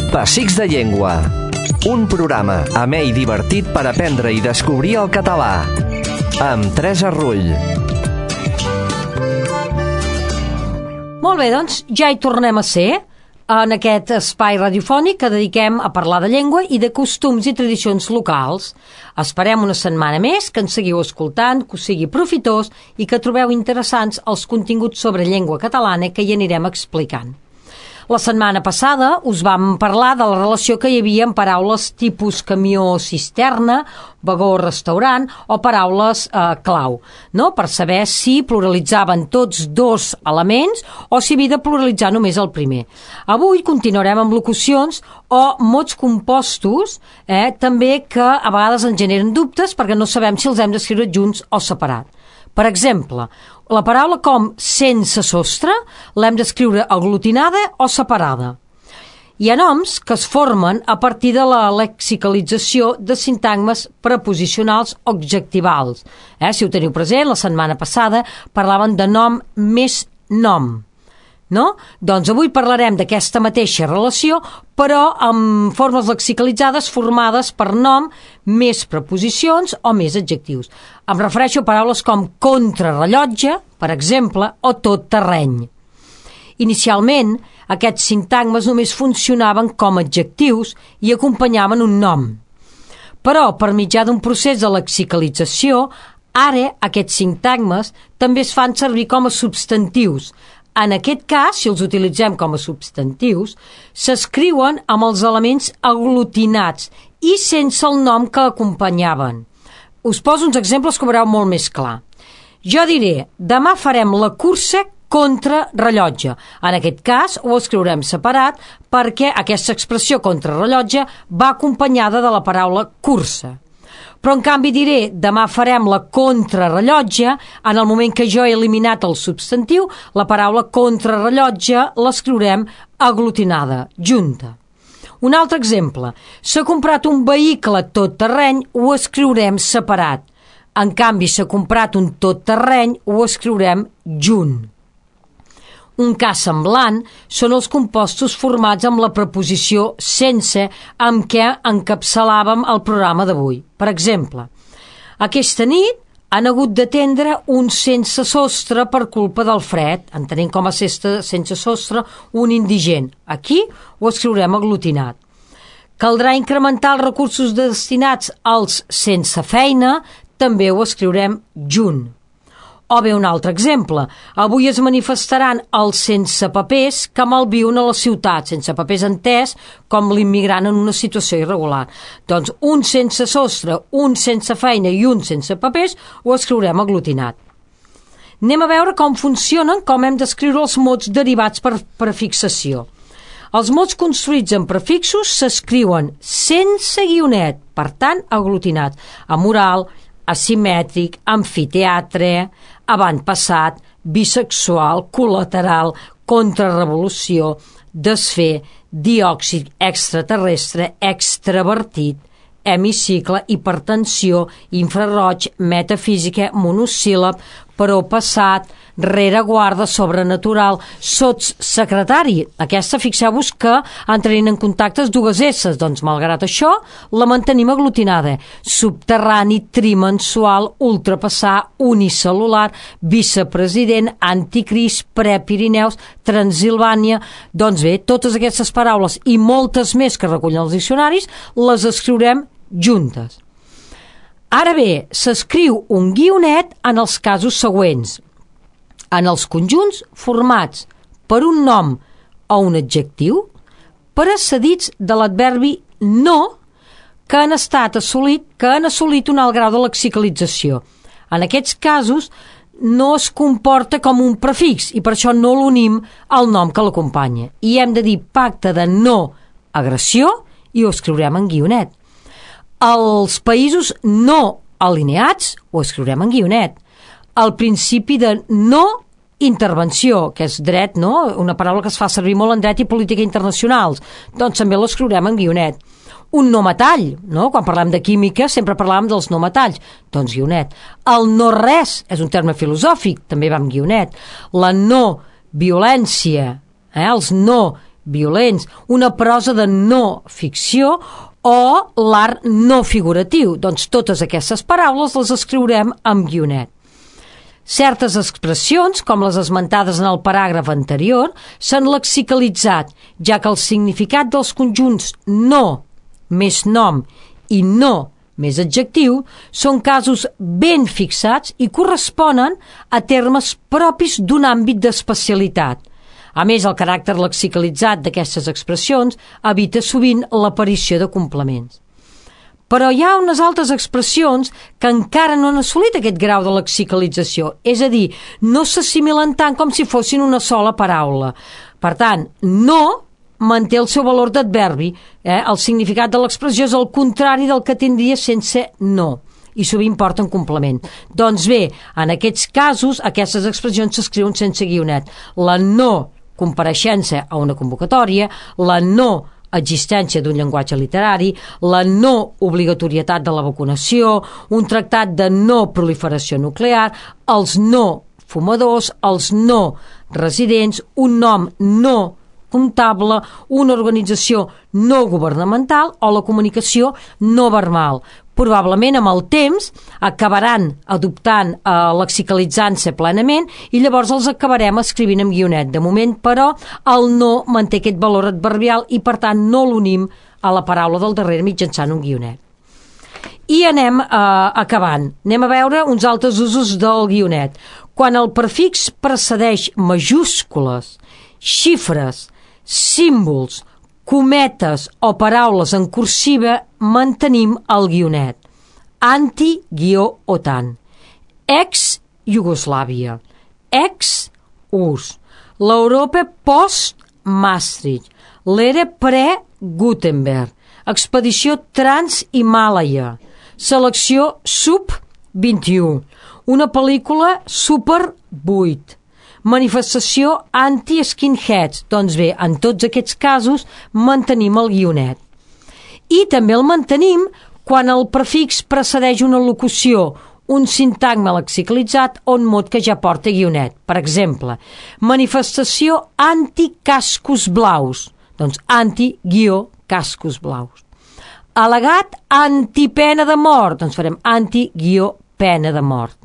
Pessics de Llengua. Un programa amè i divertit per aprendre i descobrir el català. Amb Teresa Rull. Molt bé, doncs ja hi tornem a ser en aquest espai radiofònic que dediquem a parlar de llengua i de costums i tradicions locals. Esperem una setmana més que ens seguiu escoltant, que us sigui profitós i que trobeu interessants els continguts sobre llengua catalana que hi anirem explicant. La setmana passada us vam parlar de la relació que hi havia amb paraules tipus camió-cisterna, vagó-restaurant o paraules clau, no? Per saber si pluralitzaven tots dos elements o si havia de pluralitzar només el primer. Avui continuarem amb locucions o mots compostos, també que a vegades ens generen dubtes perquè no sabem si els hem d'escriure junts o separat. Per exemple, la paraula com sense sostre l'hem d'escriure aglutinada o separada. Hi ha noms que es formen a partir de la lexicalització de sintagmes preposicionals o adjectivals. Si ho teniu present, la setmana passada parlaven de nom més nom. No? Doncs avui parlarem d'aquesta mateixa relació, però amb formes lexicalitzades formades per nom més preposicions o més adjectius. Em refereixo a paraules com contrarrellotge, per exemple, o tot terreny. Inicialment, aquests sintagmes només funcionaven com adjectius i acompanyaven un nom. Però, per mitjà d'un procés de lexicalització, ara aquests sintagmes també es fan servir com a substantius. En aquest cas, si els utilitzem com a substantius, s'escriuen amb els elements aglutinats i sense el nom que acompanyaven. Us poso uns exemples que ho veureu molt més clar. Jo diré, demà farem la cursa contra rellotge. En aquest cas, ho escriurem separat perquè aquesta expressió contra rellotge va acompanyada de la paraula cursa. Però en canvi diré, demà farem la contrarrellotge, en el moment que jo he eliminat el substantiu, la paraula contrarrellotge l'escriurem aglutinada, junta. Un altre exemple, s'ha comprat un vehicle tot terreny, ho escriurem separat. En canvi, s'ha comprat un tot terreny, ho escriurem junt. Un cas semblant són els compostos formats amb la preposició sense amb què encapçalàvem el programa d'avui. Per exemple, aquesta nit han hagut d'atendre un sense sostre per culpa del fred, entenent com a sense sostre un indigent. Aquí ho escriurem aglutinat. Caldrà incrementar els recursos destinats als sense feina, també ho escriurem junt. O bé un altre exemple, avui es manifestaran els sense papers que malviuen a la ciutat, sense papers entès com l'immigrant en una situació irregular. Doncs un sense sostre, un sense feina i un sense papers ho escriurem aglutinat. Anem a veure com funcionen, com hem d'escriure els mots derivats per prefixació. Els mots construïts en prefixos s'escriuen sense guionet, per tant aglutinat, amoral, asimètric, amfiteatre, avantpassat, bisexual, col·lateral, contrarrevolució, desfer, diòxid, extraterrestre, extravertit, hemicicle, hipertensió, infraroig, metafísica, monosíl·lab, proppassat, rereguarda, sobrenatural, sotssecretari. Aquesta, fixeu-vos que entrarien en contactes dues S, doncs malgrat això la mantenim aglutinada. Subterrani, trimensual, ultrapassar, unicel·lular, vicepresident, anticrist, prepirineus, Transilvània. Doncs bé, totes aquestes paraules i moltes més que recullen els diccionaris les escriurem juntes. Ara bé, s'escriu un guionet en els casos següents. En els conjunts formats per un nom o un adjectiu precedits de l'adverbi no que han assolit un alt grau de lexicalització. En aquests casos no es comporta com un prefix i per això no l'unim al nom que l'acompanya. I hem de dir pacte de no agressió i ho escriurem en guionet. Els països no alineats ho escriurem en guionet. El principi de no intervenció, que és dret, no? Una paraula que es fa servir molt en dret i política internacionals, doncs també l'escriurem en guionet. Un no metall, no? Quan parlem de química sempre parlàvem dels no metalls, doncs guionet. El no res és un terme filosòfic, també va amb guionet. La no violència, els no violents, una prosa de no ficció o l'art no figuratiu. Doncs totes aquestes paraules les escriurem amb guionet. Certes expressions, com les esmentades en el paràgraf anterior, s'han lexicalitzat, ja que el significat dels conjunts no més nom i no més adjectiu són casos ben fixats i corresponen a termes propis d'un àmbit d'especialitat. A més, el caràcter lexicalitzat d'aquestes expressions evita sovint l'aparició de complements. Però hi ha unes altres expressions que encara no han assolit aquest grau de lexicalització, és a dir, no s'assimilen tant com si fossin una sola paraula. Per tant, no manté el seu valor d'adverbi. El significat de l'expressió és el contrari del que tindria sense no, i sovint porten complement. Doncs bé, en aquests casos, aquestes expressions s'escriuen sense guionet. La no compareixença a una convocatòria, la no existència d'un llenguatge literari, la no obligatorietat de la vacunació, un tractat de no proliferació nuclear, els no fumadors, els no residents, un nom no comptable, una organització no governamental o la comunicació no verbal. Probablement amb el temps acabaran adoptant, lexicalitzant-se plenament i llavors els acabarem escrivint amb guionet. De moment, però, el no manté aquest valor adverbial i, per tant, no l'unim a la paraula del darrere mitjançant un guionet. I anem acabant. Anem a veure uns altres usos del guionet. Quan el prefix precedeix majúscules, xifres, símbols, cometes o paraules en cursiva, mantenim el guionet. Anti-OTAN, ex-Iugoslàvia, ex-URSS, l'Europa post-Maastricht, l'era pre-Gutenberg, expedició Trans-Himàlaia, selecció Sub-21, una pel·lícula Super 8, manifestació anti-skinheads. Doncs bé, en tots aquests casos mantenim el guionet. I també el mantenim quan el prefix precedeix una locució, un sintagma lexicalitzat o un mot que ja porta guionet. Per exemple, manifestació anti-cascos blaus. Doncs anti-cascos blaus. Al·legat antipena de mort. Doncs farem anti-pena de mort.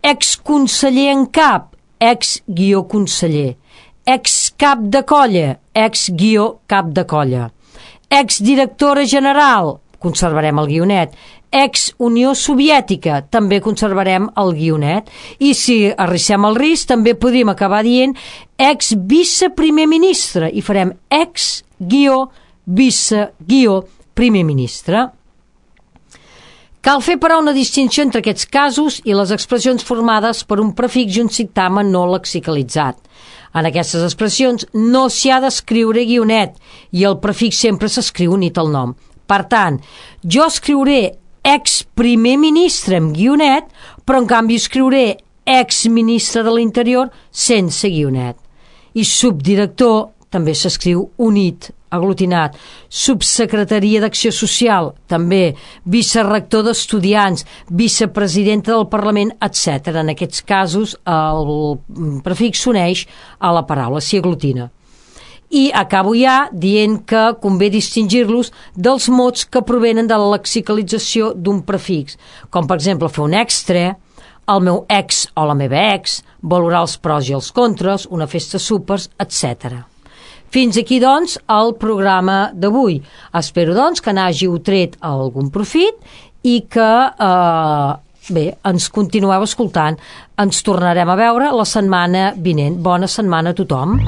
Exconseller en cap, ex-conseller, ex-cap de colla, ex-cap de colla, ex-directora general, conservarem el guionet, ex-Unió Soviètica, també conservarem el guionet, i si arrissem el risc també podríem acabar dient ex-viceprimer ministre, i farem ex-vice-primer ministre. Cal fer, però, una distinció entre aquests casos i les expressions formades per un prefix i un sintagma no lexicalitzat. En aquestes expressions no s'hi ha d'escriure guionet i el prefix sempre s'escriu unit al nom. Per tant, jo escriuré ex-primer ministre amb guionet, però en canvi escriuré ex-ministre de l'Interior sense guionet. I subdirector també s'escriu unit, aglutinat. Subsecretaria d'Acció Social, també. Vicerector d'Estudiants, vicepresidenta del Parlament, etc. En aquests casos el prefix s'uneix a la paraula, s'hi aglutina. I acabo ja dient que convé distingir-los dels mots que provenen de la lexicalització d'un prefix, com per exemple fer un extra, el meu ex o la meva ex, valorar els pros i els contres, una festa súpers, etc. Fins aquí, doncs, el programa d'avui. Espero, doncs, que n'hàgiu tret algun profit i que, ens continueu escoltant. Ens tornarem a veure la setmana vinent. Bona setmana a tothom.